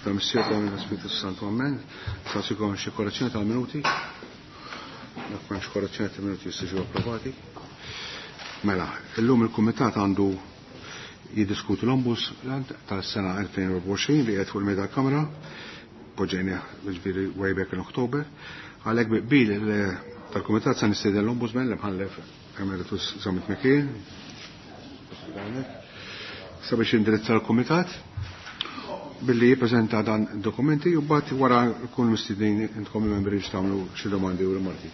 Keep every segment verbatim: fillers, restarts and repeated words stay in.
Tal-Missier tal-Spiritu Santu, Amen. Nagħtikom xi korrezzjoni tal-minuti. Dak m'hemmx korrezzjoni tal-minuti jistgħu approvati. Mela, illum il-Kumitat għandu jiddiskuti l-Ombudsman tas-sena elfejn u erbgħa u għoxrin li qed fuq il-mejda tal-Kamra, poġġejnieh ġifieri way back in October. Għalhekk bi qbil tal-Kumitat se nistieden l-Ombudsman l-Imħallef Emeritus Zammit McKeon sabiex indirizza l-Kumitat billi jippreżenta dan dokumenti u mbagħad wara jkun mistednin intkom il-membri biex tagħmlu xi domandi u rimarki.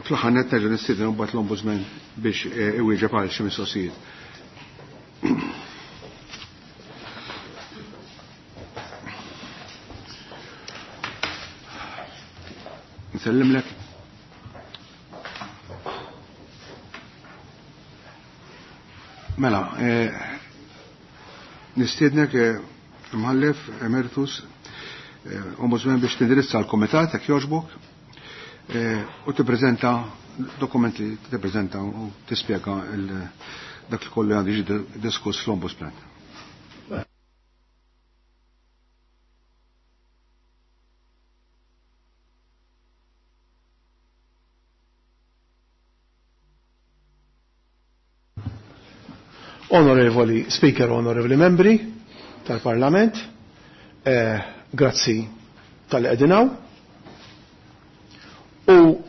Fl-aħħar nett nerġa' nistieden mbagħad l-Ombudsman biex iwieġeb għal xi mistoqsijiet. Nsellimlek. Mela, nistiednek Imħallef Emeritus Ombudsman biex tindirizza l-Komitat jekk jogħġbok u tippreżenta dokumenti tippreżenta u tispjega dak li kollu għandu jiġi diskuss fl-Ombudsman. Onorevoli Speaker, onorevoli membri tal-Parlament, eh, grazzi tal-edinaw. U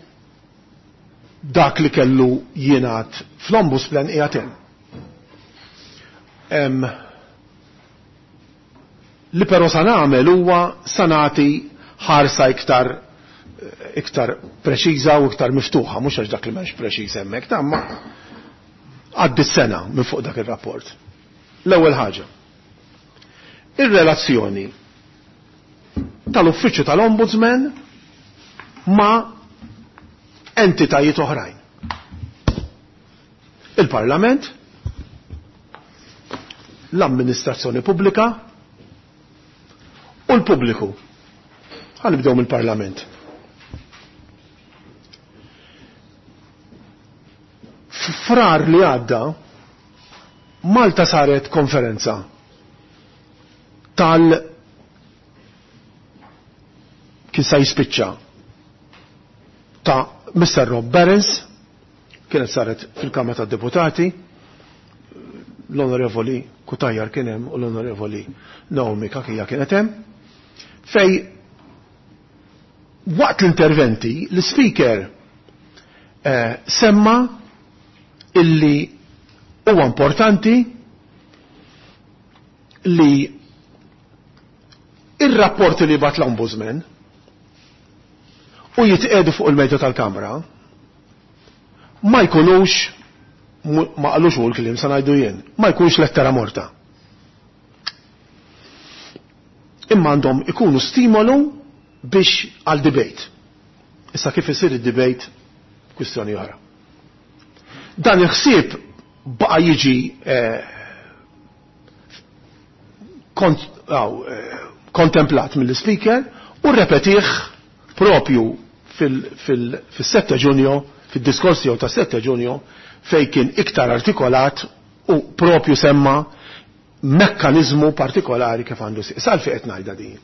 dak li kellu jienat fl-Ombudsman qiegħed hemm. Li però sa nagħmel huwa sa nagħti ħarsa iktar, iktar preċiża u iktar miftuħa, mhux għax dak li m'hemmx preċiż hemmhekk, ta' ma għaddi sena minn fuq dak ir-rapport. L-ewwel ħaġa. Ir-relazzjoni tal-Uffiċċju tal-Ombudsman ma' entitajiet oħrajn. Il-Parlament, l-amministrazzjoni pubblika u l-pubbliku. Ħa nibdew mill-Parlament. Frar li għadda, Malta saret konferenza tal kien sa jispiċċa ta' Mister Rob Behrens, kienet saret fil-Kamra tad-Deputati, l-Onorevoli Cutajar kien hemm u l-Onorevoli Naomi Cachia kienet hemm, fej waqt l-interventi l-Speaker, eh, semma illi huwa importanti li ir-rapporti li bat l-Ombudsman u jitqedu fuq il-medja tal-Kamra ma jkunux, ma qalux hu l-kliem sa ngħidu jien, ma jkunx lettera morta. Imma għandhom ikunu stimolu biex għal debate. Issa kif isir id-debate, kwistjoni oħra. Dan il-ħsieb baqa' jiġi, eh, kont-, aw, eh, kontemplat mill-speaker u repetih propju fil-, fil-, fis-sette Ġunju, fid-diskors tiegħu ta' sette Ġunju, fej kien iktar artikolat u propju semma mekkanizmu partikolari kif għandu sir. Salfi qed ngħidha din.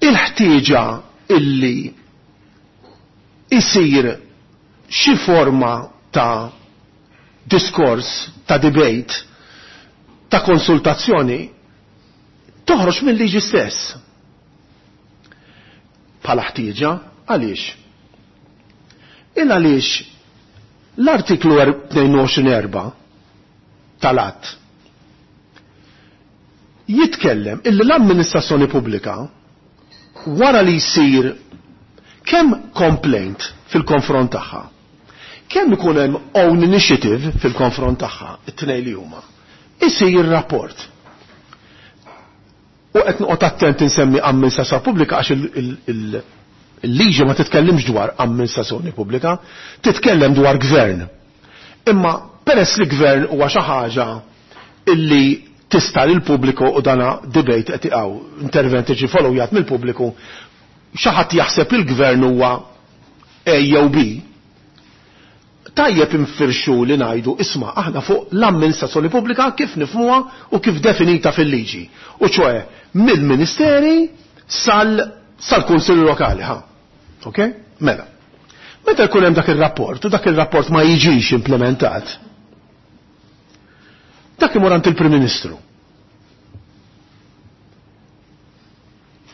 Il-ħtieġa illi isir xi forma ta' diskors, ta' debate, ta' konsultazzjoni, toħroġ mill-liġi stess. Bħala ħtieġa, għaliex? Il għaliex l-artiklu tnejn u għoxrin erba' tal-att jitkellem illi l-amministrazzjoni pubblika wara li jsir kemm complaint fil-konfront tagħha, kemm ikun hemm own initiative fil-konfront tagħha, it-tnejn li huma, isir rapport. U qed noqgħod attent insemmi amministrazzjoni pubblika għax il-, il-, il-, il-liġi ma titkellimx dwar amministrazzjoni pubblika, titkellem dwar gvern. Imma peress li gvern huwa xi ħaġa illi tista' lil pubbliku u dana debate qed iqgħu intervent iġi followjat mill-pubbliku, xi ħadd jaħseb il-gvern huwa A jew B, Tajjeb infirxu li ngħidu isma' aħna fuq l-amministrazzjoni pubblika kif nifhmuha u kif definita fil-liġi. U ċoe mill-ministeri sal sal-kunsilli lokali, ha. Ok? Mela. Meta jkun hemm dak ir-rapport u dak ir-rapport ma jiġix implementat, dak imur għand il-Prim Ministru.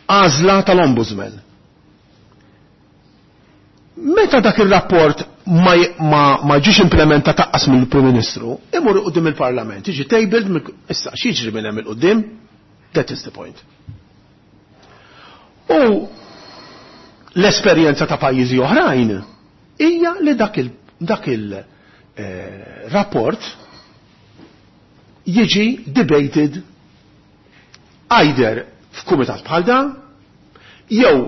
Għażla tal-Ombudsman. Meta dak ir-rapport ma, ma, ma ġiex implementat taqqas mill-Prim Ministru, imur quddiem il-Parlament, jiġi tabled, issa x'jiġri minn hemm il-quddiem? That is the point. U l-esperjenza ta' pajjiżi oħrajn hija li dak il, dak il eh, rapport jiġi debated either f'kumitat bħal dan jew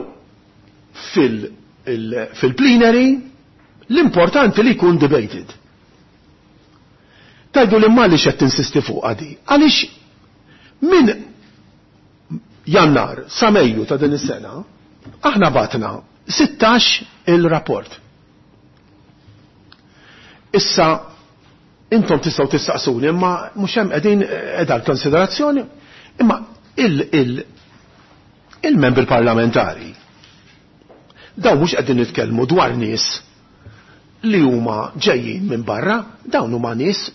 fil- fil-plenary, l-importanti li jkun debated. Tajdu li ma li qed tinsisti fuq għadi. Għaliex minn Jannar sa Mejju ta' din is-sena aħna batna sittax il-rapport. Issa intom tistgħu tistaqsuni imma mhux hemm qegħdin qiegħda l-konsiderazzjoni, imma il- il-membri parlamentari dawn mhux qegħdin nitkellmu dwar nies li huma ġejjin minn barra, dawn huma nies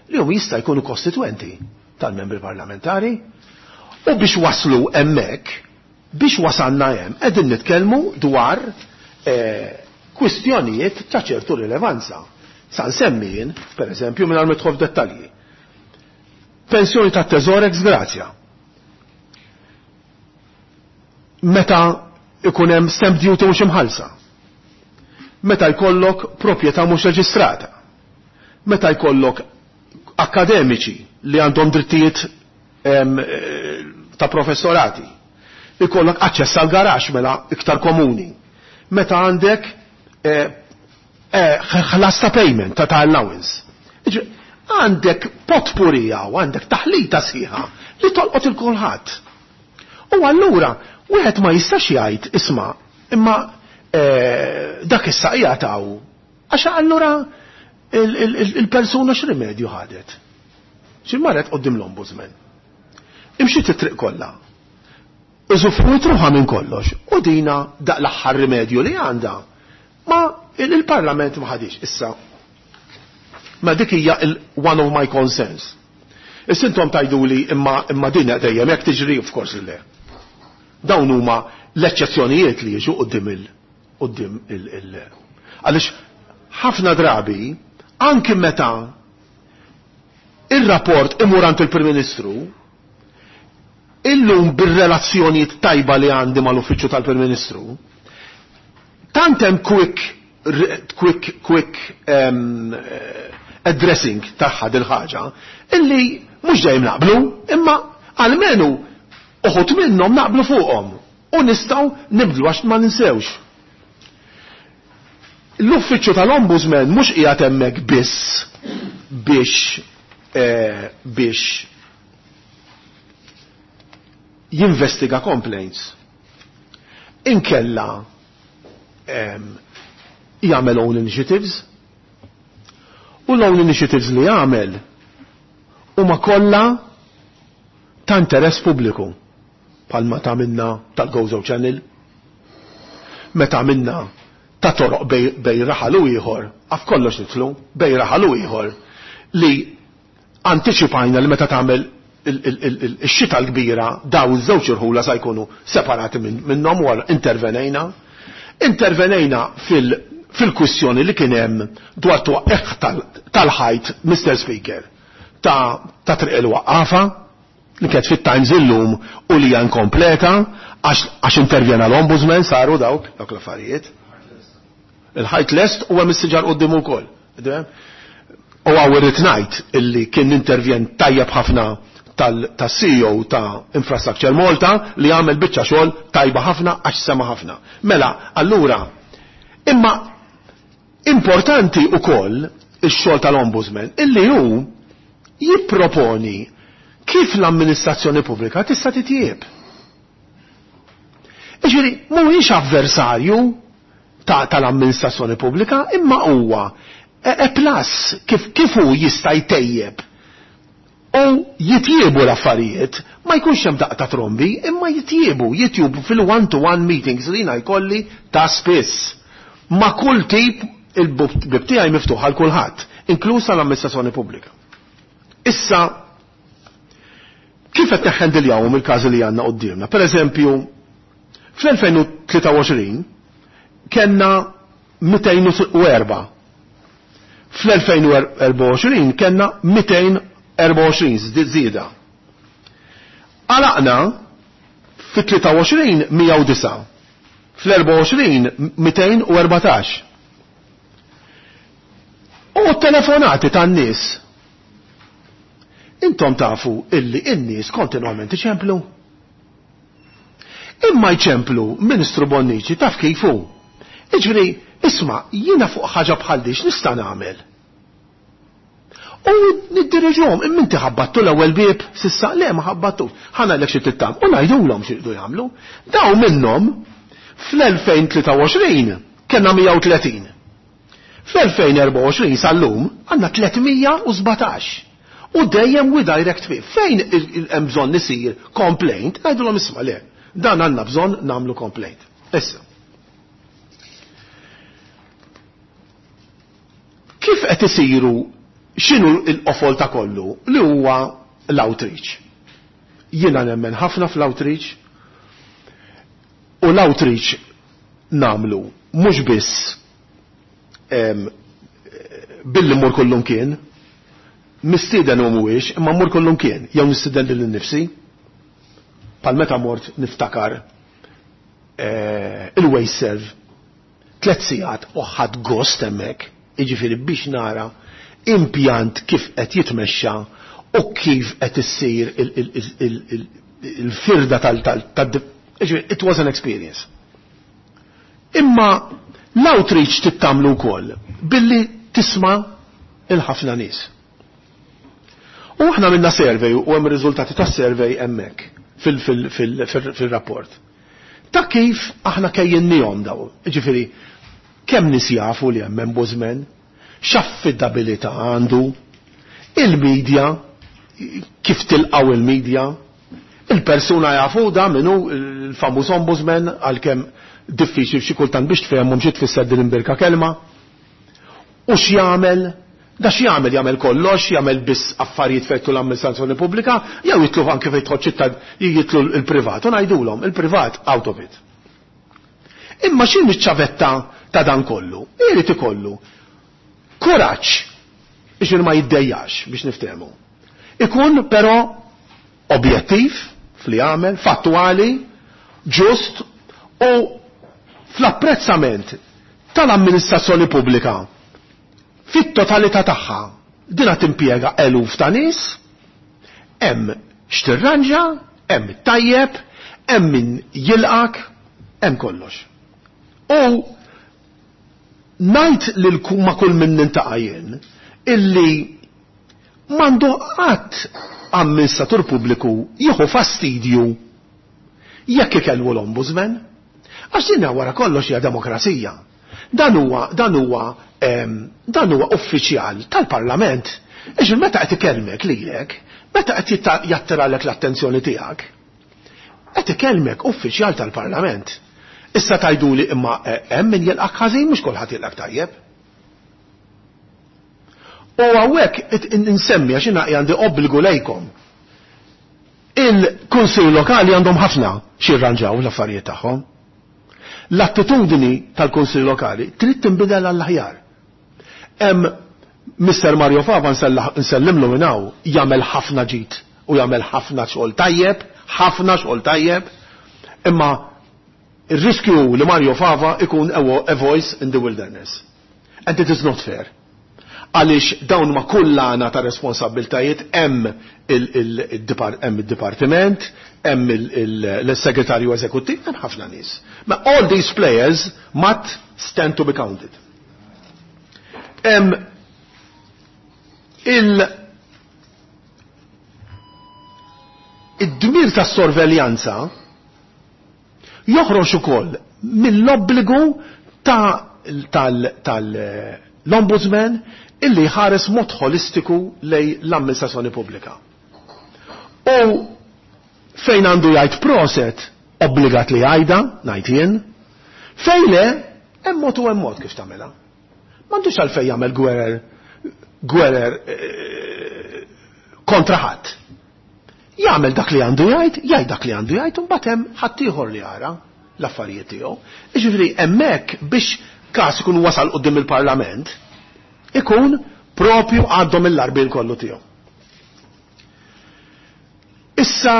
li huma jista' jkunu kostitwenti tal-membri parlamentari. U biex waslu hemmhekk, biex wasalna hemm, qegħdin nitkellmu dwar eh, kwistjonijiet ta' ċertu rilevanza. Sa nsemmi jien, per eżempju, mingħajr ma nidħol f'dettalji. Pensjoni ta' teżor ex gratia. Meta ikun hemm stamp duty mhux imħallsa. Meta jkollok proprjetà mhux reġistrata. Meta jkollok akademiċi li għandhom drittijiet em, ta' professorati. Ikollok aċċess għal garax mela iktar komuni. Meta għandek ħlas ta' payment ta' ta' allowance. Għandek potpurija u għandek taħlita sħiħa li tolqot il-kulħadd. U allura wieħed ma jistax jgħid isma' imma dak issa qiegħed għax allura il-persuna x'rimedju ħadet. Xi marret quddiem l-Ombudsman. Imxiet it-triq kollha. Iżufruit ruħha minn kollox. U dina daq l-aħħar rimedju li għandha. Ma il-Parlament ma ħadix issa. Ma dik hija one of my concerns. Issa intom tgħiduli imma imma din dejjem hekk tiġri, of course le. Dawn huma l-eċċezzjonijiet li jiġu quddiem il quddiem il il għaliex ħafna drabi anki meta il-rapport imur għand il-Prim Ministru, illum bir-relazzjonijiet tajba li għandi mal-uffiċċju tal-Prim Ministru, tant hemm quick quick quick um, addressing tagħha dil-ħaġa illi mhux dejjem naqblu, imma almenu uħud minnhom naqblu fuqhom u nistgħu nibdlu għax ma ninsewx. L-uffiċċju tal-Ombudsman mhux qiegħed hemmhekk biss biex eh, biex jinvestiga complaints. Inkella um, jagħmel own initiatives, u l-own initiatives li jagħmel huma kollha ta' interess pubbliku, bħalma ta' minna tal-Gozo Channel, meta minna ta' toroq bej, bej raħal u ieħor, għaf kollox nitlu, bej raħal u ieħor, li antiċipajna li meta tagħmel ix-xita l-kbira daw iż-żewġ irħula sa jkunu separati minnhom u intervenejna. Intervenejna fil fil-kwistjoni li kien hemm dwar twaqqeħ tal-ħajt, Mister Speaker, ta' ta' Triq il-Waqqafa li kienet fit-Times illum u li hija inkompleta għax intervjena l-Ombudsman, saru dawk dawk l-affarijiet. Il-ħajt lest u hemm is-siġar quddiem ukoll. U għaw irrid ngħid illi kien intervjen tajjeb ħafna tal-C E O ta' Infrastructure Malta li għamel biċċa xogħol tajba ħafna għax sema ħafna. Mela, allura, imma importanti ukoll ix-xogħol tal-Ombudsman illi hu jipproponi kif l-amministrazzjoni pubblika tista' titjieb. Jiġifieri mhuwiex avversarju ta' tal-amministrazzjoni pubblika, imma huwa a plus kif kif hu jista' jtejjeb. U jitjiebu l-affarijiet, ma jkunx hemm daqqa ta' trombi, imma jitjiebu, jitjiebu fil-one-to-one meetings li jiena jkolli ta' spiss. Ma' kull tip il-bib tiegħi miftuħ għal kulħadd, inkluż l-amministrazzjoni pubblika. Issa, kif qed neħħendiljawhom il-każi li għandna quddiemna? Per eżempju, fl-elfejn u tlieta u għoxrin kellna mitejn u erba'. Fl-elfejn u erbgħa u għoxrin kellna mitejn erbgħa u għoxrin żieda. Għalaqna fit-tlieta u għoxrin mija u disa'. Fl-erbgħa u għoxrin mitejn u erbatax. U telefonati tan-nies. Intom tafu illi n-nies kontinwament iċemplu. Imma jċemplu Ministru Bonnici taf kif hu. Iġifieri, isma', jiena fuq ħaġa bħal di x'nista' nagħmel? U niddiriġuhom, imma inti ħabbattu l-ewwel bieb s'issa, le ma ħabbattux. Ħa ngħidlek xi trid tagħmel u ngħidulhom xi jridu jagħmlu. Daw minnhom fl-elfejn tlieta u għoxrin kellna mija u tletin. Fl-elfejn erbgħa u għoxrin sal-lum għandna tlietmija u sbatax. U dejjem we direct fih. Fejn hemm bżonn isir complaint, ngħidulhom isma' le, dan għandna bżonn nagħmlu complaint. Issa. Kif qed isiru, x'inhu l-qofol ta' kollu li huwa l-outreach? Jiena nemmen ħafna fl-outreach u l-outreach namlu mhux biss, em, billi mmur kullum kien, mistieden u mhuwiex, imma mmur kullum kien, jew nistieden lil innifsi. Pal meta mort niftakar, eh, il-WasteServ, tliet sigħat u ħadd gost hemmhekk, jiġifieri biex nara impjant kif qed jitmexxa u kif qed issir il-, il-, il-, il-, il-, il-firda tal-, tal-, tal-, jiġifieri, it was an experience. Imma l-outreach tittamlu wkoll billi tisma' il-ħafna nies. U aħna minna survey u hemm riżultati tas-survey hemmhekk fil-, fil-, fil-, fil-, fil-rapport. Ta' kif aħna kejjennihom daw, jiġifieri kemm nies jafu li hemm ombudsman, x'affidabilità għandu, il-medja, kif tilqaw il-medja, il-persuna jafu da minnu il-famuż ombudsman għalkemm diffiċli xi kultant biex tfehmhom xi tfisser din imbirka kelma. U x'jagħmel? Da x'jagħmel? Jagħmel kollox, jagħmel biss affarijiet fejn jidħlu l-amministrazzjoni pubblika, jew jitlu anke fejn jidħol ċittad, jitlu l-privat, u ngħidulhom il-privat out of it. Imma x'inhi ċ-ċavetta ta' dan kollu? Irid ikollu kuraġġ biex ma jiddejjax biex niftehmu. Ikun però objettiv fli jagħmel, fattwali, ġust u fl-apprezzament tal-amministrazzjoni pubblika fit-totalità tagħha. Dina timpjega eluf ta' nies, hemm x'tirranġa, hemm tajjeb, hemm min jilqak, hemm kollox. U ngħid lil ku-, ma' kull min nintaqa' jien illi m'għandu qatt amministratur pubbliku jieħu fastidju jekk ikellmu l-ombudsman. Għax din wara kollox hija demokrazija. Dan huwa, dan huwa, em, dan huwa uffiċjal tal-Parlament. Iġifieri meta qed ikellmek lilek, meta qed jitta-, jattiralek l-attenzjoni tiegħek, qed ikellmek uffiċjal tal-Parlament. Issa tajduli imma, eh, hemm min jilqak ħażin, mhux kulħadd jilqak tajjeb. U hawnhekk it-, in-, insemmi għax jiena għandi obbligu lejkom. Il-Kunsill Lokali għandhom ħafna x'jirranġaw l-affarijiet tagħhom. L-attitudni tal-Kunsill Lokali trid tinbidel għall-aħjar. Hemm Mister Mario Fava nsella-, nsellimlu minn hawn, jagħmel ħafna ġid u jagħmel ħafna xogħol tajjeb, ħafna xogħol tajjeb, imma ir-riskju li Mario Fava ikun a wo-, a voice in the wilderness. And it is not fair. Għaliex dawn ma kullana ta' responsabiltajiet, hemm il-, il-, il-dipar-, hemm il-dipartiment, hemm il-, il-, l-segretarju eżekuttiv, hemm ħafna nies. Ma all these players must stand to be counted. Hemm il-, id-dmir tas-sorveljanza joħroġ ukoll mill-obbligu ta' tal-, tal, l-Ombudsman illi ħares mod holistiku lej l-amministrazzjoni pubblika. U fejn għandu jgħid proset, obbligat li jgħidha, ngħid jien, fejn le, hemm mod u hemm mod kif tagħmilha. M'għandux għalfejn jagħmel gwerer gwerer kontra ħadd. Jagħmel dak li għandu jgħid, jgħid dak li għandu jgħid, u mbagħad hemm ħadd ieħor li jara l-affarijiet tiegħu. Jiġifieri hemmhekk biex każ ikun wasal quddiem il-Parlament, ikun propju għaddhom il-larbil kollu tiegħu. Issa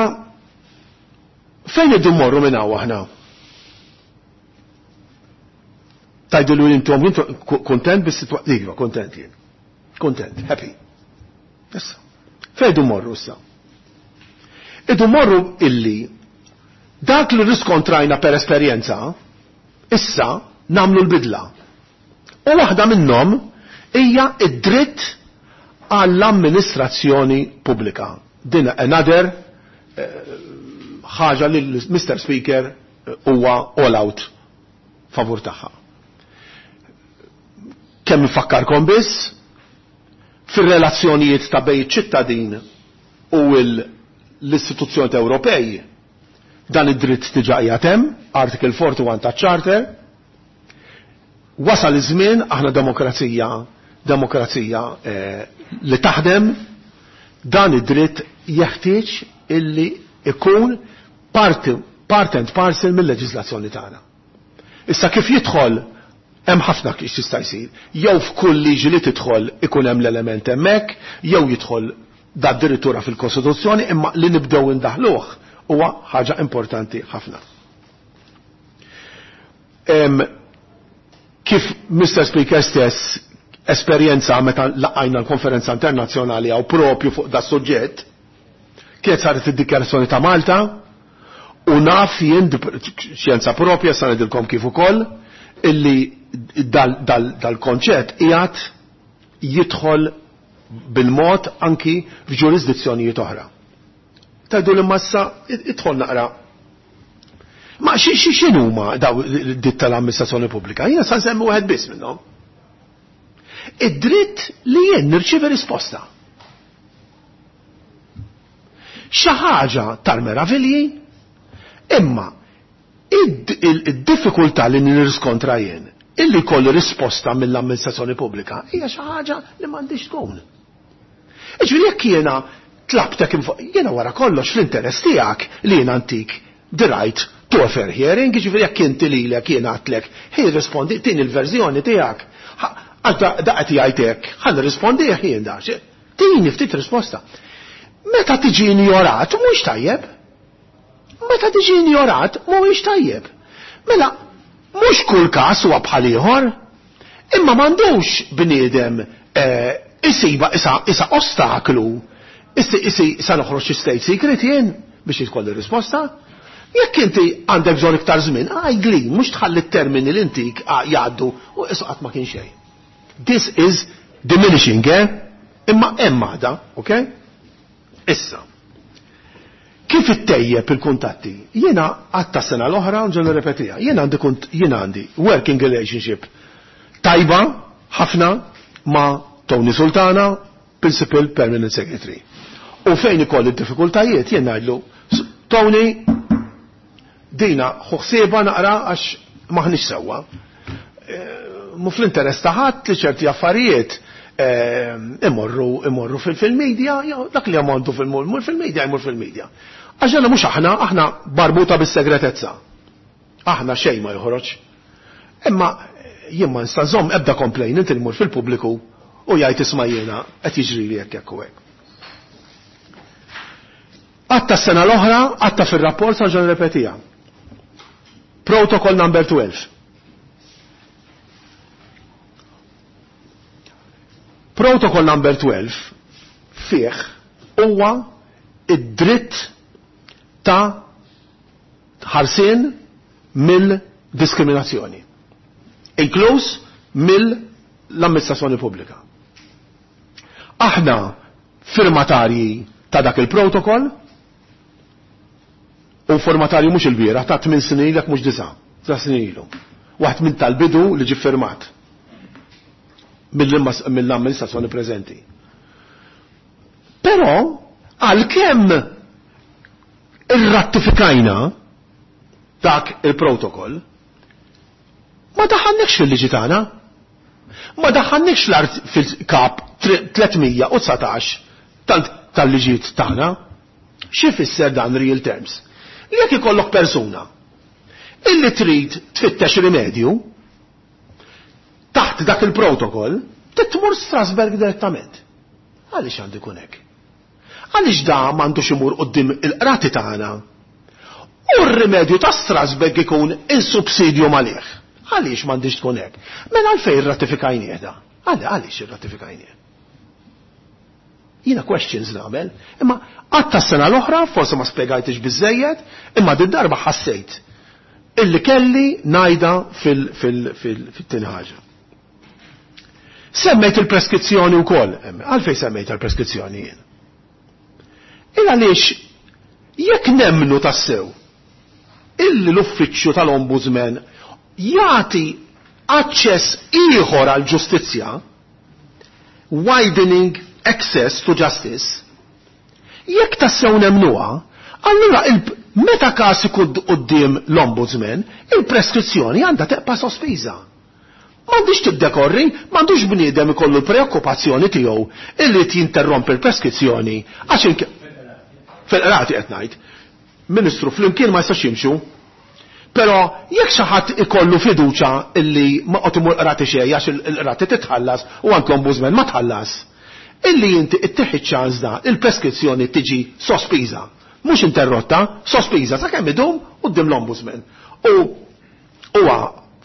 fejn iddu mmorru minn hawn aħna? Tajdu li intom kontent bis-sitwazzjoni? Iva, kontent jien. Kontent, happy. Issa, fejn iddu mmorru issa? Iddu mmorru illi dak li riskontrajna per esperjenza, issa namlu l-bidla. U waħda minnhom hija id-dritt għall-amministrazzjoni pubblika. Din another ħaġa li Mister Speaker huwa all out favur tagħha. Kemm nfakkarkom biss fir-relazzjonijiet ta' bejn ċittadin u l-istituzzjoni Ewropej, dan id-dritt diġà qiegħed hemm, Article forty-one ta' Charter. Wasal iż-żmien, aħna demokrazija, demokrazija eh, li taħdem, dan id-dritt jeħtieġ illi ikun part, part and parcel mill-leġiżlazzjoni tagħna. Issa kif jidħol hemm ħafna kif jista' jsir. Jew f'kull liġi li tidħol ikun hemm l-element hemmhekk, jew jidħol da addirittura fil-Kostituzzjoni, imma li nibdew indaħluh huwa ħaġa importanti ħafna. Em, kif Mister Speaker stess esperjenza meta laqajna l-konferenza internazzjonali għaw propju fuq da suġġett, kienet saret id-dikjarazzjoni ta' Malta, u naf jien xjenza propja sa ngħidilkom kif ukoll illi dal-konċett qiegħed jidħol bil-mod anki f'ġurisdizzjonijiet oħra. Tajdu li massa idħol naqra. Ma xi x'inhuma daw id-dritt tal-amministrazzjoni pubblika? Jiena sa nsemmi wieħed biss minnhom. Id-dritt li jien nirċievi risposta. Xi ħaġa tal-meravilji, imma id-diffikultà li nirriskontra jien illi kolli risposta mill-amministrazzjoni pubblika hija xi ħaġa li m'għandix tkun. Iġifieri jekk jiena tlabtek jiena wara kollox fl-interess tiegħek li jiena antik the right to a fair hearing, jiġifieri jekk inti lilek jiena għadtlek, ħi rispondi tin il-verżjoni tiegħek. Għax da qed jgħid hekk, ħa nirrispondi jien da. Tini ftit risposta. Meta tiġi injorat mhuwiex tajjeb. Meta tiġi injorat mhuwiex tajjeb. Mela mhux kull każ huwa bħal ieħor, imma m'għandux bniedem isiba isa isa ostaklu, isi isi sa noħroġ xi state secret jien biex jitkolli risposta. Jekk inti għandek bżonn iktar żmien, għajdli, mhux tħalli t-termini li intik jgħaddu u qisu qatt ma kien xejn. This is diminishing, eh? Imma hemm għada, okay? Issa, kif ittejjeb il-kuntatti? Jiena għatta sena l-oħra nġu nirrepetiha. Jiena għandi kunt, jiena għandi working relationship tajba ħafna ma' Tony Sultana, Principal Permanent Secretary. U fejn ikolli d-diffikultajiet jien ngħidlu, Tony, dina ħuħsieba naqra għax maħniex sewwa. Mu fl-interess ta' ħadd li ċerti affarijiet imorru imorru fil-media, dak li għamontu fil-mur fil-media jmur fil-media. Għax għandna mhux aħna, aħna barbuta bis-segretezza. Aħna xejn ma joħroġ. Imma jien ma nista' nżomm ebda complaint inti jmur fil-pubbliku u jgħid isma' jiena qed jiġri hekk hekk u hekk. Għatta s-sena l-oħra, għatta fil-rapport sa ġan repetija. Protocol number twelve. Protocol number twelve fih huwa id-dritt ta' ħarsien mill-diskriminazzjoni, inkluż mill-amministrazzjoni pubblika. Aħna firmatarji ta' dak il-protokoll, u formatarju mhux il-bieraħ ta' tmien snin ilek mhux disa', disa' snin ilu. Waħed minn tal-bidu li ġie firmat. mill-amministrazzjoni preżenti. Però għalkemm irrattifikajna dak il-protokoll, ma daħħalniex fil-liġi tagħna. Ma daħħalniex l-art fil-kap tliet mija u dsatax tal-liġijiet tagħna. Xi fisser dan real terms? Jekk ikollok persuna illi trid tfittex rimedju taħt dak il-protokoll, tmur Strasberg direttament. Għaliex għandu jkun hekk? Għaliex da m'għandux imur quddiem il-qrati tagħna? U r-rimedju ta' Strasberg ikun il-subsidju malih. Għaliex m'għandix tkun hekk? Mela għalfejn ratifikajnieh da? Għaliex irratifikajnieh? Jiena questions nagħmel, imma għatta s-sena l-oħra, forse ma spjegajtix biżejjed, imma din darba ħassejt illi kelli ngħidha fil-tieni ħaġa. Semmejt il-preskrizzjoni wkoll. Għalfejn semmejt il-preskrizzjoni jien? Il għaliex jekk nemmnu tassew illi l-uffiċċju tal-Ombudsman jagħti aċċess ieħor għal ġustizzja, widening access to justice, jekk tassew nemmnuha, allura meta każ ikun quddiem l-Ombudsman, il-preskrizzjoni għandha tibqa' sospiża. M'għandix tiddekorri, m'għandux bniedem ikollu l-preokkupazzjoni tiegħu illi jinterrompi l-preskrizzjoni għax fil-qrati qed ngħid. Ministru, flimkien ma jistax jimxu. Però jekk xi ħadd ikollu fiduċa illi ma qed imur qrati xejn għax il-qrati titħallas u anke l-ombudsman ma tħallas. Illi inti ittieħi ċans da il-preskrizzjoni tiġi sospiża. Mhux interrotta, sospiża sakemm idum quddiem l-ombudsman. U huwa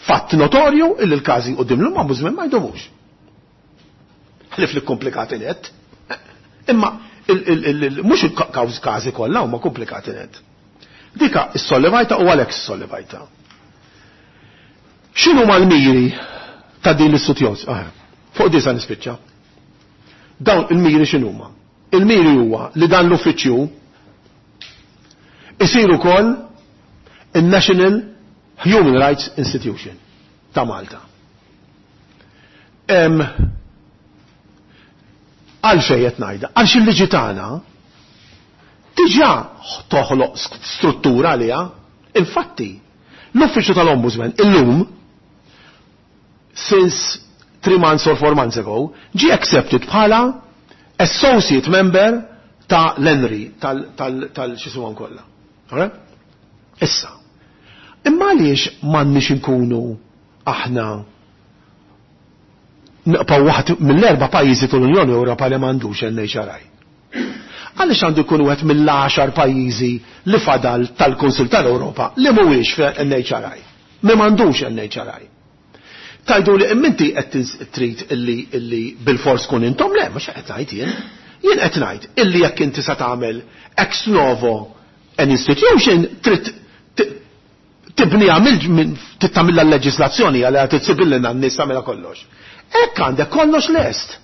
fatt notorju illi l-każi quddiem l-ombudsman ma jdumux. Ħlif li komplikati net. Imma mhux il-każi kollha huma komplikati net. Dika is-sollevajta u għalhekk is-sollevajta. X'inhu mal-miri ta' din l-istituzzjoni? Ah, fuq disa nispiċċa. Dawn il-miri x'inhuma? Il-miri huwa li dan l-uffiċċju isir ukoll il-National Human Rights Institution ta' Malta. Għalfejn qed ngħidha? Għalx il-liġi tagħna diġà toħloq struttura għaliha. Infatti, l-Uffiċċju tal-Ombudsman illum, since three months or four months ago, ġi accepted bħala associate member ta' l-ENNHRI, tal-xisuwan kollha. Issa, imma għaliex m'għandniex inkunu aħna nibqgħu waħd mill-erba' pajjiżi tal-Unjoni Ewropea li m'għandux N H R I? Għaliex għandu jkun wieħed mill-għaxar pajjiżi li fadal tal-Kunsil tal-Ewropa li mhuwiex N H R I? Mi m'għandux N H R I. Tajdu li imminti qed trid illi illi bil-fors kun intom, le, mhux qed ngħid jien. Jien qed ngħid illi jekk inti sa tagħmel ex novo an institution, trid tibniha mill tagħmilha l-leġislazzjoni għal titsibillina n-nies, tagħmilha kollox. Hekk għandek kollox lest.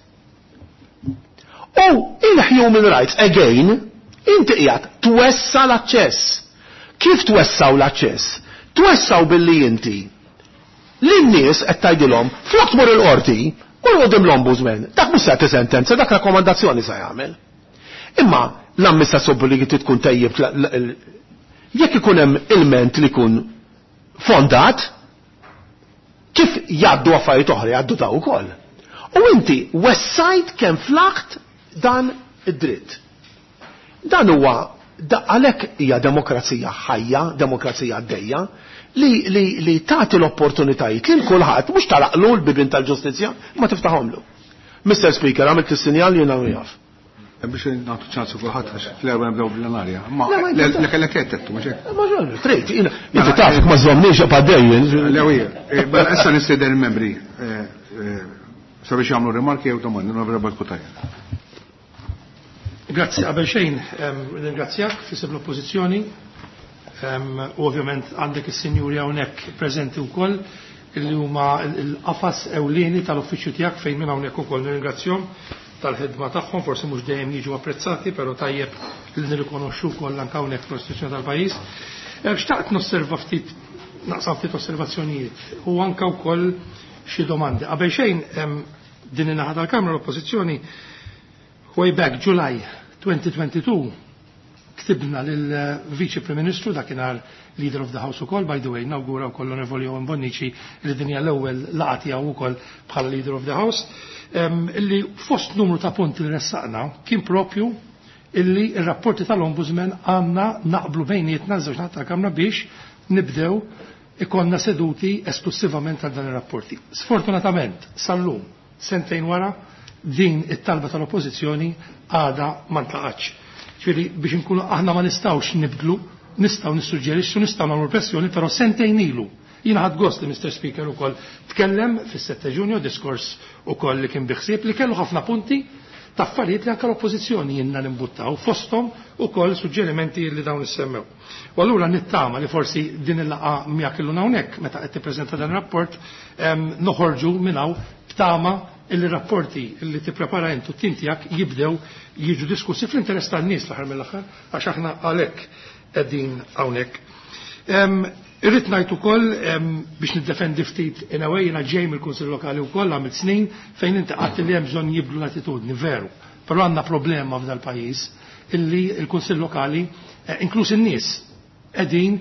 U il-human rights, again, inti qiegħed twessa l-aċċess. Kif twessaw l-aċċess? Twessaw billi inti lin-nies qed tgħidilhom, flok tmur il-qorti, mur quddiem l-ombudsman. Dak mhux se jagħti sentenza, dak rakkomandazzjoni se jagħmel. Imma l-amministrazzjoni pubblika tkun tejjeb jekk ikun hemm ilment li jkun fondat, kif jgħaddu affarijiet oħra jgħaddu ta' ukoll. U inti wessajt kemm flaħt dan id-dritt. Dan huwa għalhekk hija demokrazija ħajja, demokrazija għaddejja, li, li, li tagħti l-opportunitajiet lil kulħadd, mhux tagħlaqlu l-bibien tal-ġustizzja, ma tiftaħomlu. Mister Speaker, għamilt is-sinjal, jiena jaf. Biex nagħtu ċansu kulħadd għax fl-erba' nibdew bil-plenarja. Ma le kellek qed mhux hekk. Ma trid, inti taf ma żommniex għaddejjen. Le, mela issa nistieden il-membri eh, eh, sabiex jagħmlu rimarki jew domandi, Onorevole Cutajar. Grazzi, qabel xejn, ringrazzjak f'isem l-oppożizzjoni u ovvjament għandek is-sinjuri hawnhekk preżenti wkoll illi huma l-qafas ewlieni tal-uffiċċju tiegħek, fejn minn hawnhekk ukoll nirringrazzjahom tal-ħidma tagħhom, forsi mhux dejjem jiġu apprezzati, però tajjeb li nirrikonoxxu wkoll anke hawnhekk fl-istituzzjoni tal-pajjiż. Xtaqt nosserva ftit, naqsam ftit osservazzjonijiet u anke wkoll xi domandi. Qabel xejn, Din in-naħa tal-Kamra l-Oppożizzjoni way back July twenty twenty-two ktibna lill-Viċi Prim Ministru, dakinhar Leader of the House ukoll, by the way, nawgura wkoll l-Onorevoli Owen Bonnici li din hija l-ewwel laqgħa tiegħu wkoll bħala Leader of the House, illi fost numru ta' punti li ressaqna kien propju illi r-rapporti tal-Ombudsman għandna naqblu bejnietna żewġ naħat tal-Kamra biex nibdew ikonna seduti esklusivament għal dan ir-rapporti. Sfortunatament, sal-lum, sentejn wara, din it-talba tal-Oppożizzjoni għadha ma ntlaqatx. Ġifieri biex inkunu aħna ma nistgħux nibdlu, nistgħu nissuġġerixxu, nistgħu nagħmlu pressjoni, però sentejn ilu. Jiena ħadd gost li Mister Speaker ukoll tkellem fis-sette Ġunju, diskors ukoll li kien biħsieb li kellu ħafna punti ta' affarijiet li anke l-Oppożizzjoni jiena nimbuttaw fosthom ukoll suġġerimenti li dawn issemmew. U allura nittama li forsi din il-laqgħa miegħek illum hawnhekk meta qed tippreżenta dan ir-rapport noħorġu minn hawn b'tama illi rapporti li tipprepara intu t-tim tiegħek jibdew jiġu diskussi fl-interess tan-nies l-aħħar mill-aħħar, għax aħna għalhekk qegħdin hawnhekk. Irrid ngħid ukoll biex niddefendi ftit in a way, jiena ġej mill-Kunsill Lokali wkoll għamilt snin fejn inti qatt li hemm bżonn jibdlu l-attitudni, veru. Però għandna problema f'dal pajjiż illi l-Kunsill Lokali, inkluż in-nies, qegħdin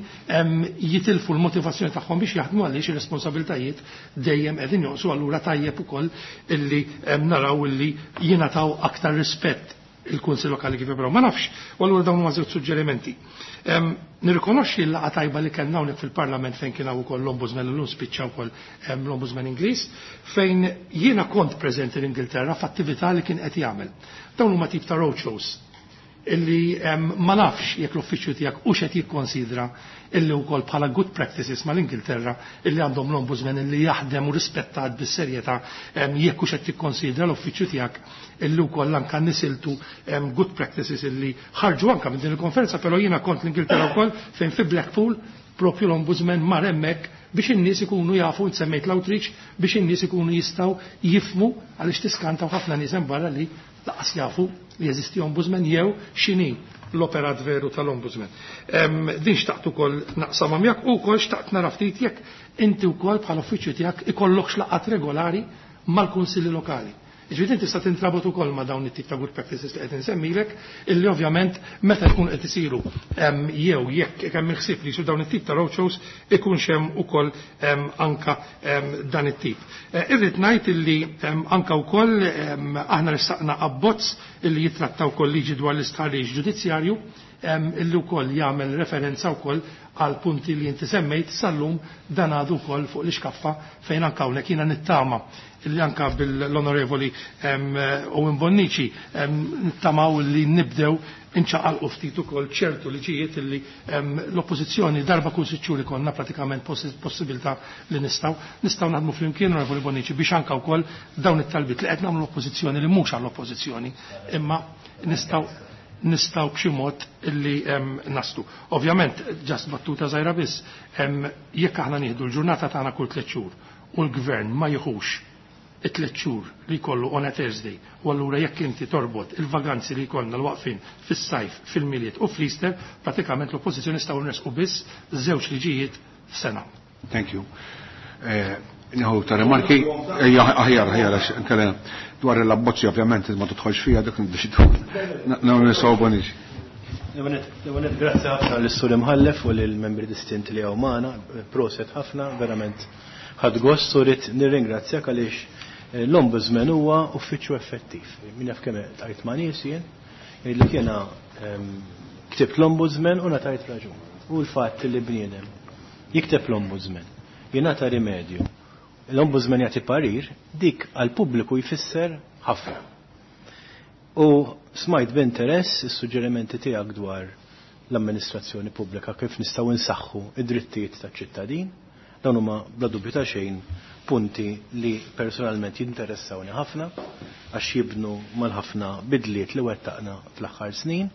jitilfu l-motivazzjoni tagħhom biex jaħdmu għaliex ir-responsabiltajiet dejjem qegħdin jonqsu, allura tajjeb ukoll illi naraw illi jingħataw aktar rispett il-Kunsill Lokali kif jibgħu. Ma nafx, u allura dawn huma żewġ suġġerimenti. Nirrikonoxxi l-laqgħa tajba li kellna hawnhekk fil-Parlament fejn kien hawn ukoll l-Ombudsman illum spiċċa wkoll l-Ombudsman Ingliż, fejn jiena kont preżenti l-Ingilterra f'attività li kien qed jagħmel. Dawn huma tip ta' roadshows illi ma nafx jekk l-uffiċċju tiegħek hux qed jikkonsidra illi wkoll bħala good practices mal-Ingilterra illi għandhom l-Ombudsman illi jaħdem u rispettat bis-serjetà, jekk hux qed tikkonsidra l-uffiċċju tiegħek illi wkoll anke nisiltu good practices illi ħarġu anke minn din il-konferenza, però jiena kont l-Ingilterra wkoll fejn fi Blackpool propju l-Ombudsman mar hemmhekk biex in-nies ikunu jafu, semmejt l-outreach, biex in-nies ikunu jistgħu jifmu għaliex tiskantaw ħafna nies hemm barra li laqas jafu li jeżisti ombudsman jew x'inhi l-operat veru tal-ombudsman. Din xtaqt ukoll naqsam miegħek u wkoll xtaqt nara ftit jekk inti wkoll bħala uffiċċju tiegħek ikollokx laqgħat regolari mal-kunsilli lokali. Ġifieri inti tista' tintrabot ukoll ma' dawn it-tip ta' good practices li qed insemmilek, illi ovvjament meta jkun qed isiru jew jekk hemm il-ħsieb li jsiru dawn it-tip ta' roadshows ikunx hemm ukoll anka dan it-tip. Irrid ngħid illi anka wkoll aħna ressaqna abbozz illi jitratta wkoll liġi dwar l-istħarriġ ġudizzjarju, illi wkoll jagħmel referenza wkoll għal punti li inti semmejt sal-lum dan għadu wkoll fuq l-iskaffa fejn anka hawnhekk jiena nittama illi anka bil-Onorevoli Owen Bonnici nittamaw li nibdew inċaqalqu ftit ukoll ċertu liġijiet illi l-Oppożizzjoni darba kull sitt xhur ikollna pratikament possibilità li nistgħu nistgħu naħdmu flimkien, Onorevoli Bonnici, biex anka wkoll dawn it-talbiet li qed nagħmlu l-Oppożizzjoni li mhux għall-Oppożizzjoni imma nistgħu nistgħu b'xi mod illi naslu. Ovvjament, ġast battuta żgħira biss, jekk aħna nieħdu l-ġurnata tagħna kull tliet xhur u l-gvern ma jieħux it-tliet xhur li jkollu on a Thursday, u allura jekk inti torbot il-vaganzi li jkollna l-waqfin fis-sajf, fil-Milied u fl-Easter, pratikament l-Oppożizzjoni nistgħu nresqu biss żewġ liġijiet f'sena. Thank you. Nieħu ta' rimarki, ejja, aħjar, aħjar, għax inkella dwar l-abbozzi ovvjament ma tidħolx fiha dak niddeċidu. Nagħmlu nistgħu Bonnici. L-ewwel grazzi ħafna lis-Sur Imħallef u lill-membri distinti li hawn magħna, proset ħafna, verament ħadd gost u rrid nirringrazzjak għaliex l-Ombudsman huwa uffiċċju effettiv. Min jaf kemm tajt ma' nies jien, jgħidlek jiena ktibt l-Ombudsman u ngħatajt raġun. U l-fatt li bniedem jikteb l-Ombudsman, jingħata rimedju, l-Ombudsman jagħti parir, dik għall-pubbliku jfisser ħafna. U smajt b'interess is-suġġerimenti tiegħek dwar l-amministrazzjoni pubblika kif nistgħu nsaħħu id-drittijiet taċ-ċittadin. Dawn huma bla dubju ta' xejn punti li personalment jinteressawni ħafna għax jibnu mal-ħafna bidliet li wettaqna fl-aħħar snin.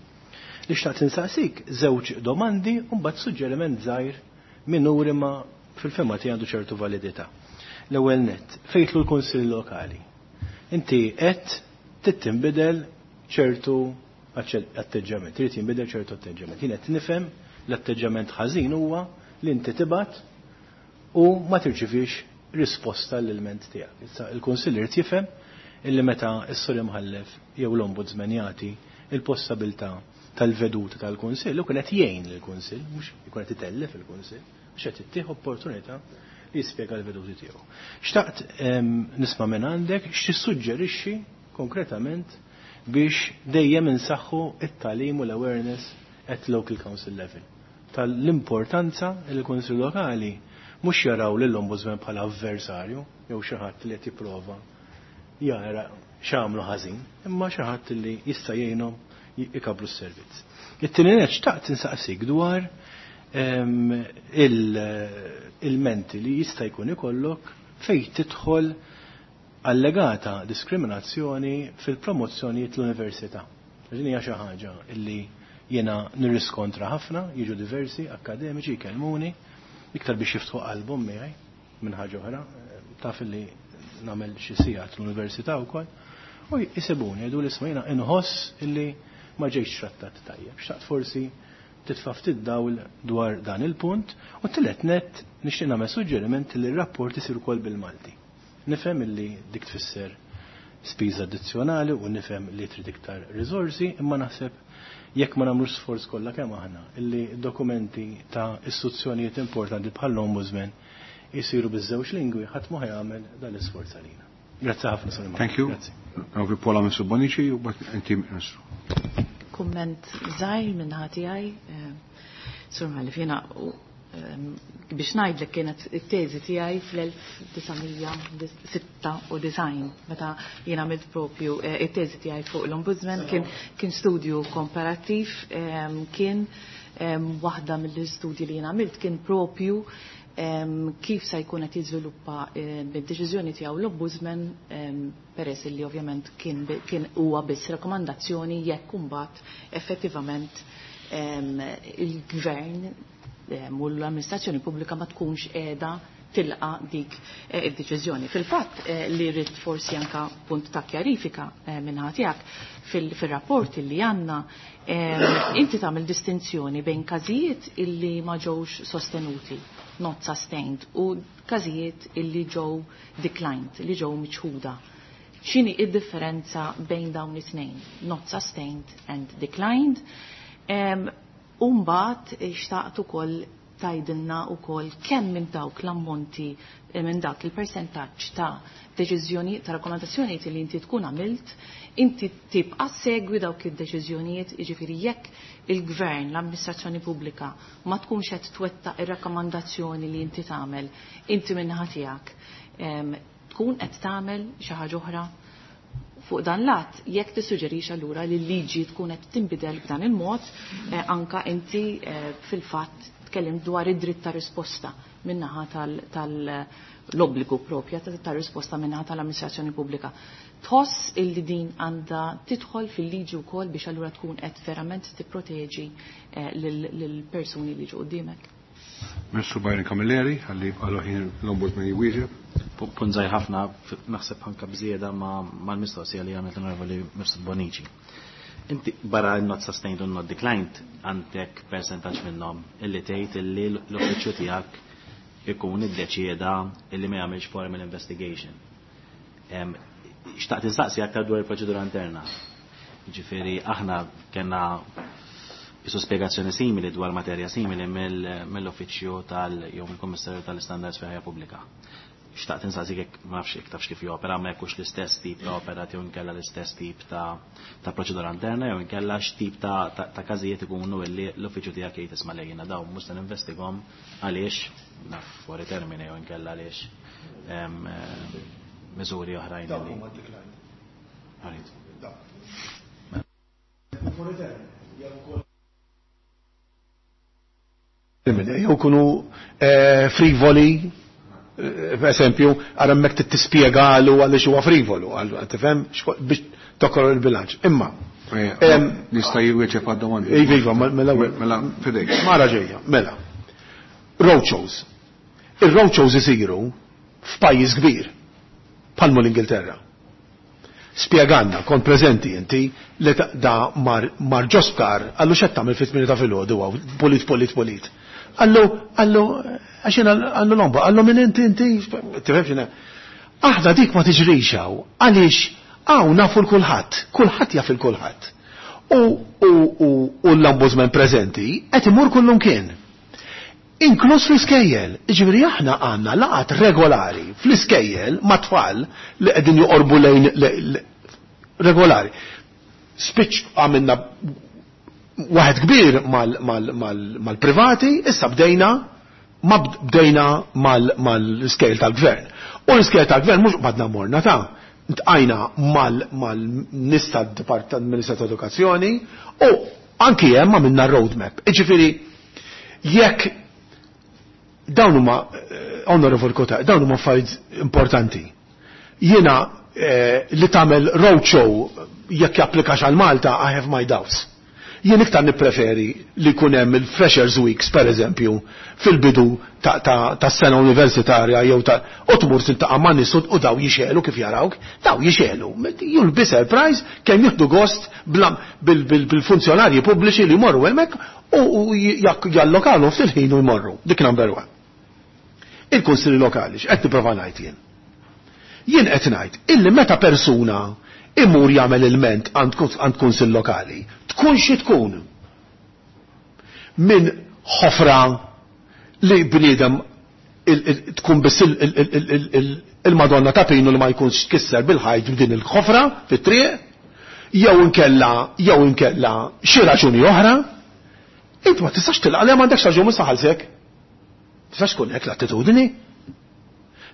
Li xtaqt insaqsik żewġ domandi u mbagħad suġġeriment żgħir minuri ma fil-fema tiegħi għandu ċertu validità. L-ewwel nett, fejtlu l-Kunsill Lokali. Inti qed tittinbidel ċertu atteġġament, trid jinbidel ċertu atteġġament. Jien qed nifhem l-atteġġament ħażin huwa li inti tibgħat u ma tirċivix risposta l-ilment tiegħek. Issa il-Kunsill irid jifhem illi meta s-sur imħallef jew l-ombudsman jagħti il-possibilità tal-veduta tal-Kunsill, u kien qed jgħin lill-Kunsill, mhux ikun qed itellef il-Kunsill, mhux qed ittih opportunità li jispjega l-veduti tiegħu. Xtaqt nisma' minn għandek x'tissuġġerixxi konkretament biex dejjem insaħħu it-tagħlim u l-awareness at local council level tal-importanza li l-Kunsill Lokali mhux jaraw lill-Ombudsman bħala avversarju jew xi ħadd li qed jipprova jara x'għamlu ħażin, imma xi ħadd li jista' jgħinhom ikabbru s-servizz. It-tieni nett xtaqt insaqsik dwar il-menti li jista' jkun ikollok fejn tidħol allegata diskriminazzjoni fil-promozzjonijiet l-università. Din hija xi ħaġa illi jiena nirriskontra ħafna, jiġu diversi akademiċi jkellmuni iktar biex jiftħu qalbhom miegħi minn ħaġa oħra, taf illi nagħmel xi sigħat l-università wkoll, u jisibuni jgħidu li isma' jiena inħoss illi ma ġejtx trattat tajjeb. Xtaqt forsi titfa' ftit dawl dwar dan il-punt, u tielet nett nixtieq nagħmel suġġeriment li r-rapport isir ukoll bil-Malti. Nifhem illi dik tfisser spiża addizzjonali u nifhem li trid iktar riżorsi, imma naħseb jekk ma nagħmlux sforz kollha kemm aħna illi dokumenti ta' istituzzjonijiet importanti bħall-Ombudsman jisiru biż-żewġ lingwi, ħadd ma jagħmel dan l-isforz għalina. Grazzi ħafna, Sur Thank you. Grazzi. Għavi Paula Mifsud Bonnici u mbagħad inti Ministru. Kumment żgħir minn ħati, Sur Mħallef, jiena biex ngħidlek kienet it-teżi tiegħi fl-elf disa' mija sitta u disgħin meta jiena għamilt propju it-teżi tiegħi fuq l-Ombudsman, kien kien studju komparattiv, kien waħda mill-istudji li jiena għamilt kien propju kif sa jkun qed jiżviluppa bid-deċiżjoni tiegħu l-Ombudsman, peress li ovvjament kien kien huwa biss rakkomandazzjoni jekk imbagħad effettivament il-gvern u l-amministrazzjoni pubblika ma tkunx qiegħda tilqa dik id-deċiżjoni. Fil-fatt li rrid forsi anka punt ta' kjarifika minn tiegħek, fil-rapport li għandna inti tagħmel distinzjoni bejn każijiet illi ma ġewx sostenuti, not sustained, u każijiet illi ġew declined, li ġew miċħuda. X'inhi id-differenza bejn dawn it-tnejn, not sustained and declined? U mbagħad xtaqt ukoll tgħidilna ukoll kemm minn dawk l-ammonti, minn dak il-persentaġġ ta' deċiżjoni ta' rakkomandazzjonijiet li inti tkun għamilt, inti tibqa' segwi dawk id-deċiżjonijiet, jiġifieri jekk il-gvern, l-amministrazzjoni pubblika ma tkunx qed twettaq ir-rakkomandazzjoni li inti tagħmel, inti min-naħa tiegħek tkun qed tagħmel xi ħaġa oħra fuq dan lat, jekk tissuġġerix allura li l-liġi tkun qed tinbidel b'dan il-mod, eh, anka inti eh, fil-fatt tkellim dwar id-dritt ta' risposta min-naħa tal-obbligu propja ta' risposta min-naħa tal-amministrazzjoni pubblika. Tħoss illi din għandha tidħol fil-liġi wkoll biex allura tkun qed verament tipproteġi eh, lill-persuni li ġu qudiemek? Ministru Byron Camilleri, ħalli għallu ħin l-Ombudsman jwieġeb. Punt żgħir ħafna, naħseb anka bżieda mal-mistoqsija li għamlet l-Onorevoli Mifsud Bonnici. Inti barra not sustained u not declined għandek percentaġġ minnhom illi tgħid illi l-uffiċċju tiegħek ikun iddeċieda illi ma jagħmilx formal investigation. Xtaqt insaqsi aktar dwar il-proċedura interna. Ġifieri aħna kellna jisu spiegazzjoni simili dwar materja simili mill-uffiċċju tal jew mill-Kummissarju tal-Istandards fi Ħajja Pubblika. Xtaqt insaqsi jekk ma nafx jekk tafx kif jopera, ma jekkux l-istess tip ta' operat jew inkella l-istess tip ta' ta' proċedura interna jew inkella x'tip ta' ta' każijiet ikunu illi l-uffiċċju tiegħek jgħid, "Isma' lejna dawn mhux se ninvestigahom għaliex naf fuori termine jew inkella għaliex miżuri oħrajn." Li. Għarid. Fuori termine, jew kunu frivoli, per esempio, għara mek tispjegalu għaliex huwa frivolu, tifhem, biex tokor il-bilanċ. Imma. Nista' jwieġeb għad-domandi. Iva, iva, mela. Mela, fidejk. Mara ġejja, mela. Roadshows. Il-roadshows isiru f'pajjiż kbir, bħalmu l-Ingilterra. Spjeganna, kont preżenti inti, li da mar, mar ġo sptar, qallu, "X'qed tagħmel fit-tmienja ta' filgħodu, pulit, pulit, pulit?" Qallu, qallu, "Għax jiena," qallu l-omba, qallu, "Min inti, inti?" Tifhem x'inha? Aħna dik ma tiġrix hawn, għaliex Hawn nafu l-kulħadd, kulħadd jaf il-kulħadd. U, u, u, u l-ombudsman preżenti qed imur kullum kien. Inkluż fl-iskejjel. Ġifieri aħna għandna laqgħat regolari fl-iskejjel ma' tfal li qegħdin joqorbu lejn regolari. Spiċ għamilna waħed kbir mal-privati, issa bdejna ma bdejna mal-iskejjel tal-gvern. U l-iskejjel tal-gvern mhux badna morna ta' iltqajna mal-nies tad-Dipartiment ta' Edukazzjoni u anki hemm għamilna roadmap. Ġifieri jekk dawn huma eh, Honorable Kota, dawn huma affarijiet importanti. Jiena eh, li tagħmel roadshow jekk japplikax għal Malta, I have my doubts. Jien iktar nippreferi li jkun hemm il-Freshers Weeks, per eżempju, fil-bidu ta' ta', ta sena universitarja jew ta' u tmur tiltaqa' ma' nies u daw jixelu kif jarawk, daw jixelu. You'll be surprised kemm jieħdu gost bil-funzjonarji pubbliċi li jmorru hemmhekk u jallokalu ftit ħin u jmorru. Dik number one. Il-kunsilli lokali, x'qed nipprova ngħid jien? Jien qed ngħid illi meta persuna imur jagħmel ilment għand kunsill lokali, tkun xi tkun minn ħofra li bniedem tkun biss il-Madonna ta' Pinu li ma jkunx tkisser bil-ħajt b'din il-ħofra fit-triq, jew inkella jew inkella xi raġuni oħra, int ma tistax tilqa' li m'għandekx raġun saħalsek. Tistax tkun hekk l-attitudni.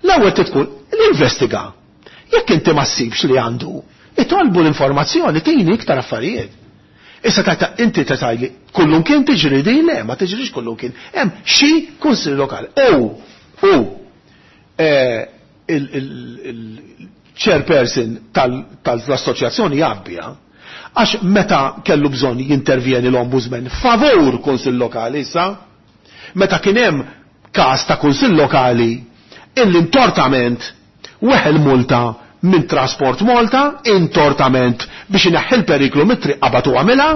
L-ewwel tkun l-investiga. Jekk inti ma ssibx li għandu, itolbu l-informazzjoni tini iktar affarijiet. Issa ta' inti ta' tgħidli kullum kien tiġri din le, ma tiġrix kullum kien. Hemm xi kunsill lokali. U u il-chairperson tal-assoċjazzjoni jabbija għax meta kellu bżonn jintervjeni l-ombudsman favur kunsill lokali issa, meta kien hemm każ ta' kunsill lokali illi intortament weħel multa minn Transport Malta, intortament biex ineħħi l-periklu mit-triq qabatu għamilha,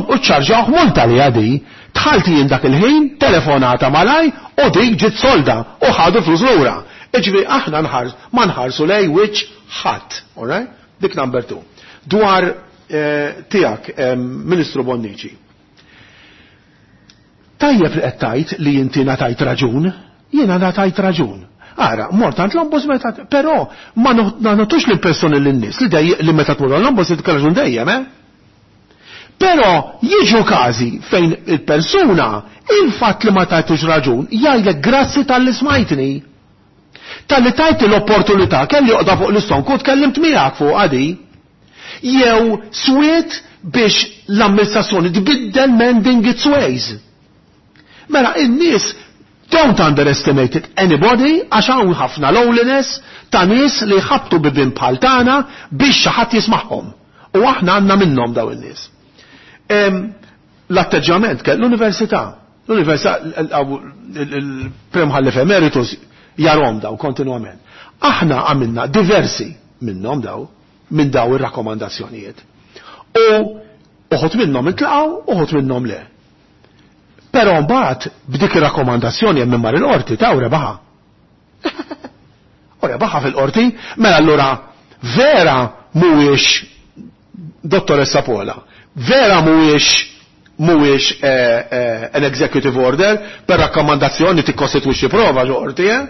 u ċarġawh multa li għadi, dħalt jien dak il-ħin, telefonata malaj, u dik ġiet solda, u ħadu flus lura. Iġifieri aħna nħars, ma nħarsu lej wiċċ ħadd, alright? Dik number two. Dwar eh, tiegħek, eh, Ministru Bonnici. Tajjeb li qed tgħid li inti ngħatajt raġun, jiena ngħatajt raġun. Ara, mort għand l-ombudsman, però ma nagħtux l-impressjoni lin-nies li dej li meta tmur l-ombudsman tkun raġun dejjem, eh? Però jiġu każi fejn il-persuna il-fatt li ma tajtux raġun jgħidlek grazzi talli smajtni. Talli tajt l-opportunità kelli joqda fuq l-istonku tkellimt miegħek fuq għadi. Jew swiet biex l-amministrazzjoni tbiddel mending its ways. Mela in-nies don't underestimate it anybody għax hawn ħafna loneliness ta' nies li jħabtu bibien bħal tagħna biex xi ħadd jismagħhom. U aħna għandna minnhom daw in-nies. L-atteġġjament kell l-università. L-università il-Prim Imħallef Emeritus jarahom daw kontinwament. Aħna għamilna diversi minnhom daw minn daw ir-rakkomandazzjonijiet. U uħud minnhom intlaqgħu, uħud minnhom le. Però mbagħad b'dik ir-rakkomandazzjoni hemm mar il-qorti ta' rebaħa. U rebaħa fil-qorti, mela allura vera mhuwiex dottoressa Pola, vera mhuwiex mhuwiex eh, eh, an executive order per rakkomandazzjoni tikkostitwixxi prova ġo qorti, eh?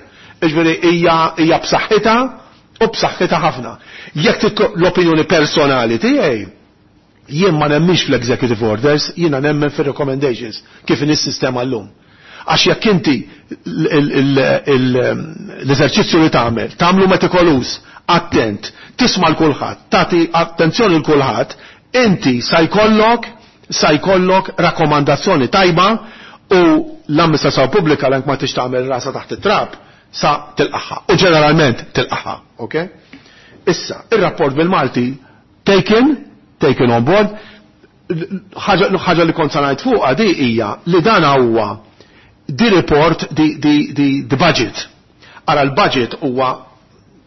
Iġifieri hija hija b'saħħitha u b'saħħitha ħafna. Jekk l-opinjoni personali tiegħi, jien ma nemminx fl-executive orders, jiena nemmen fil-recommendations, kif in is-sistema llum. Għax jekk inti l-eżerċizzju li tagħmel, tagħmlu metikoluż, attent, tisma' l kulħadd, tagħti attenzjoni l kulħadd, inti sa jkollok sa jkollok rakkomandazzjoni tajba u l-amministrazzjoni pubblika l ma tix tagħmel rasa taħt it-trab sa tilqaħħa. U ġeneralment tilqaħħa, ok? Issa, ir-rapport bil-Malti taken, taken on board, ħaġa li kont sa ngħid fuqha di hija li dan huwa di report di, di, di, di budget. Ara l-budget huwa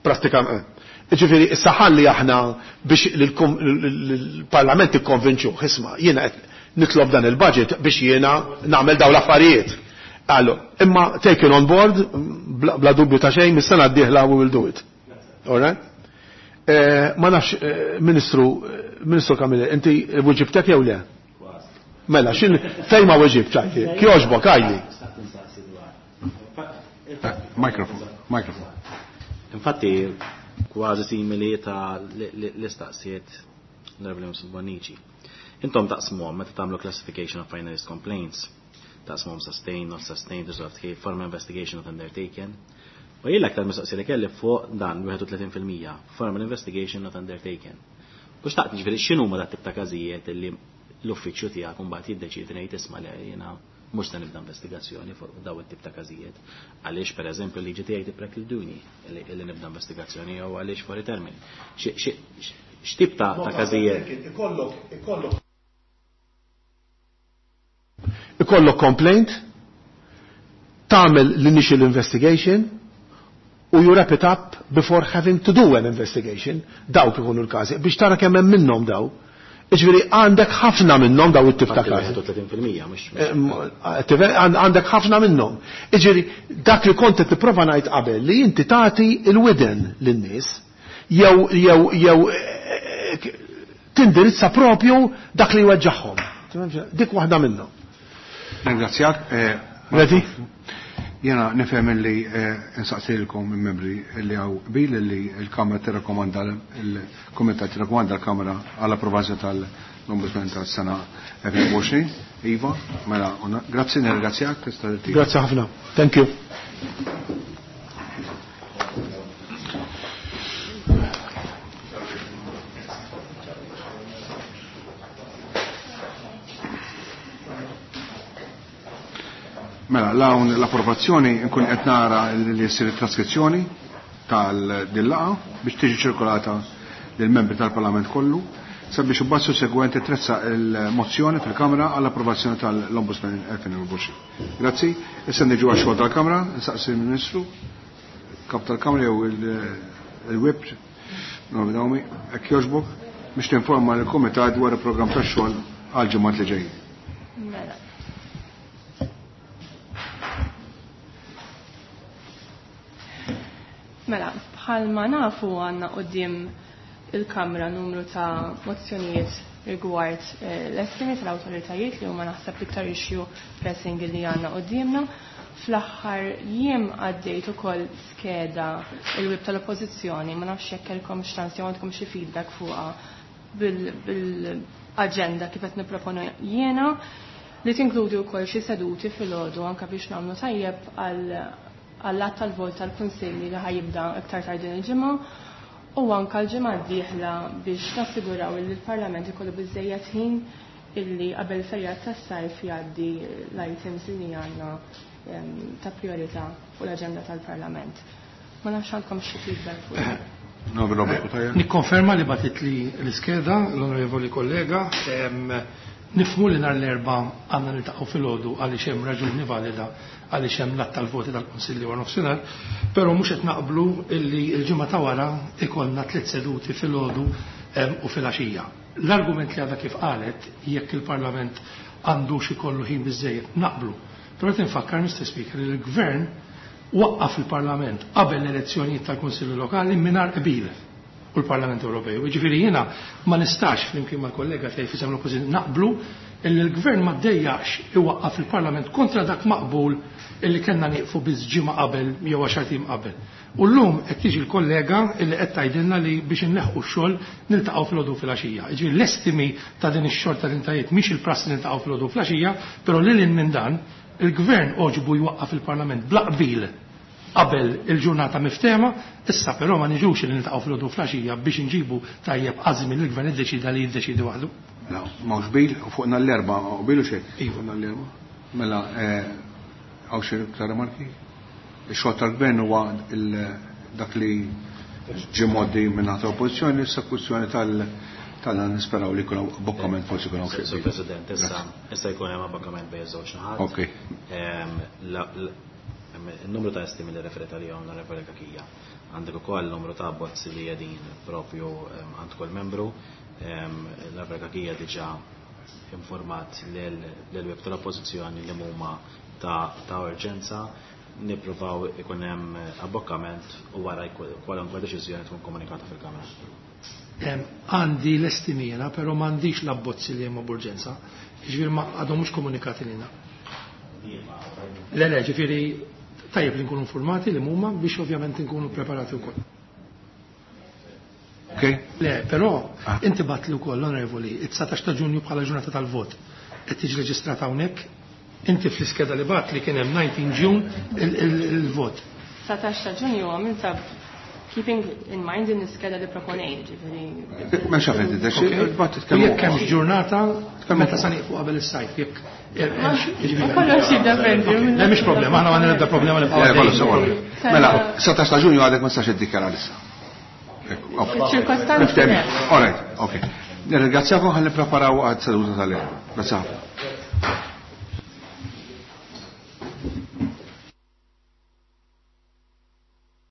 prattikament Ġifieri, issa ħalli aħna biex l-Parlament ikkonvinċu, isma' jiena qed nitlob dan il-budget biex jiena nagħmel dawn l-affarijiet. Allu, imma taken on board, bla, bla dubju ta' xejn, mis-sena d-dieħla we will do it. All right? Eh, ma nafx, Ministru, Ministru Camilleri, inti weġibtek jew le? Mela, xin fejn ma weġibt għajli? Kjoġbok għajli. Mikrofon, mikrofon. Infatti, kważi simili ta' l-istaqsijiet l-Onorevoli Bonnici. Intom taqsmuhom meta tagħmlu classification of finalist complaints. Taqsmuhom sustained, not sustained, resolved case, formal investigation not undertaken. U jien l-aktar mistoqsija li kelli fuq dan wieħed u tletin fil-mija, formal investigation not undertaken. U xtaqt jiġifieri x'inhuma dat tip ta' każijiet li l-uffiċċju tiegħek imbagħad jiddeċiedi ngħid isma' li jiena mhux se nibda investigazzjoni fuq daw it-tip ta' każijiet. Għaliex pereżempju l-liġi tiegħi tipprekluduni li nibda investigazzjoni jew għaliex fuori termini. X'tip ta' każijiet? Ikollok, ikollok. Ikollok complaint, tagħmel l-initial investigation u you wrap it up before having to do an investigation. Dawk ikunu l-każi biex tara kemm hemm minnhom daw. Iġifieri għandek ħafna minnhom daw it-tip ta' każi. Għandek ħafna minnhom. Iġifieri dak li kont qed tipprova ngħid qabel li inti tagħti l-widen lin-nies jew jew jew tindirizza propju dak li jweġġagħhom. Dik waħda minnhom. Ringrazzjak. Ready? Jena nifhem li nsaqsilkom il-membri li hawn qbil li l-Kamra tirrakkomanda il-Kumitat tirrakkomanda l-Kamra għall approvazzjoni tal-Ombudsman tas-sena elfejn u għoxrin. Iva, mela, grazzi, nirringrazzjak. Grazzi ħafna. Thank you. Mela, l-hawn l-approvazzjoni nkun qed nara li jsir it-traskrizzjoni tal-dillaqa biex tiġi ċirkolata lill-membri tal-Parlament kollu sabiex imbagħad sussegwenti tressaq il-mozzjoni fil-Kamra għall-approvazzjoni tal-Ombudsman elfejn u għoxrin. Grazzi. Issa niġu għax-xogħol tal-Kamra, nsaqsi il-Ministru, kap tal-Kamra jew il-Whip, Naomi, hekk jogħġbok biex tinforma lill-Kumitat dwar il-programm tax-xogħol għall-ġimgħat li ġejjin. Mela. Mela, bħalma nafu għanna qoddim il-Kamra numru ta' mozzjonijiet rigward l-estimi tal-awtoritajiet li huma naħseb l-iktar issue pressing li għanna qoddimna. Fl-aħħar jiem għaddejt ukoll skeda il-wib tal-oppożizzjoni, ma nafx jekk kellkom x'tans jew għandkom xi feedback fuqha bil-aġenda kif qed nipproponu jiena li tinkludi wkoll xi seduti filgħodu anke biex nagħmlu tajjeb għal għall-att tal-vot tal-Kunsilli li ħajibda iktar tard din il-ġimgħa u anke l-ġimgħa d-dieħla biex nassiguraw li l-Parlament ikollu biżejjed ħin illi qabel ferjat tas-sajf jgħaddi l-items li għandna ta' priorità fuq l-aġenda tal-Parlament. Ma nafx għandkom xi feedback fuq. Nikkonferma li batit li l-iskeda l-onorevoli kollega. Nifmu li nhar l-erba' għandna niltaqgħu filgħodu għaliex hemm raġuni valida għaliex hemm l-att tal-voti tal-Kunsilli wara nofsinhar, però mhux qed naqblu illi l-ġimgħa ta' wara ikollna tliet seduti filgħodu u filgħaxija. L-argument li għadha kif qalet jekk il-Parlament għandux ikollu ħin biżejjed naqblu. Però qed infakkar Mister Speaker li l-Gvern waqqaf il-Parlament qabel l-elezzjonijiet tal-Kunsilli Lokali mingħajr qbil u l-Parlament Ewropew. Jiġifieri jiena ma nistax flimkien mal-kollega tiegħi fisem l-Oppożizzjoni naqblu illi l-Gvern ma ddejjax iwaqqaf il-Parlament kontra dak maqbul illi kellna nieqfu biss ġimgħa qabel jew għaxar tim qabel. U llum qed tiġi l-kollega illi qed tgħidilna li biex inneħħu x-xogħol niltaqgħu filgħodu filgħaxija. Jiġifieri l-estimi ta' din ix-xogħol ta' tintajiet mhix il-prassi niltaqgħu filgħodu filgħaxija, però lil hinn minn dan il-Gvern oġbu jwaqqaf il-Parlament bla qbil qabel il-ġurnata miftema, issa però ma niġux li niltaqgħu filgħodu flaxija biex inġibu tajjeb għażmi li l-gvern iddeċida li jiddeċidi waħdu. La, m'hawnx bil, u fuqna l-erba' qbilu xejn. Iva. Fuqna l-erba'. Mela, hawn xi iktar remarki? Ix-xogħol tal-gvern huwa dak li ġie mgħoddi minn naħa tal-oppożizzjoni, issa kwistjoni tal tal nisperaw li jkun hawn abbokkament forsi jkun hawn xi. Sur President, issa issa jkun hemm abbokkament bejn iż-żewġ naħat. Okej. Il-numru ta' estimi li referita għalihom l-Onorevoli Kakija. Għandek ukoll numru ta' abbozzi li qegħdin propju għand kull membru. L-Onorevoli Kakija diġà informat lill-web tal-oppożizzjoni li huma ta' urġenza. Nippruvaw ikun hemm abbokkament u wara kwalunkwe deċiżjoni tkun komunikata fil-Kamra. Għandi l-estimina, però m'għandix l-abbozzi li hemm b'urġenza. Ġifieri ma għadhom mhux komunikati lilna. Le, le, ġifieri tajjeb li nkunu informati li huma biex ovvjament nkunu preparati wkoll. Okay. Le, però ah. inti bat li wkoll onorevoli, it-dsatax ta' Ġunju bħala ġurnata tal-vot qed tiġi reġistrata hawnhekk, inti fl-iskeda li bat li kien hemm dsatax Ġun il-vot. dsatax ta' Ġunju għamilta keeping in mind din l-iskeda li proponejt, ġifieri. Ma xafet id bat titkellmu. Jekk hemm ġurnata meta sa nieqfu qabel is-sajf, jekk Kollox jiddependi. Le, mhix problema, aħna ma nibda problema li Mela, dsatax ta' Ġunju għadek ma stax iddikjara issa. Ċirkostanzi. All right, okay. Nirringrazzjakom, ħalli preparaw għad seduta tal-lejl. Grazie ħafna.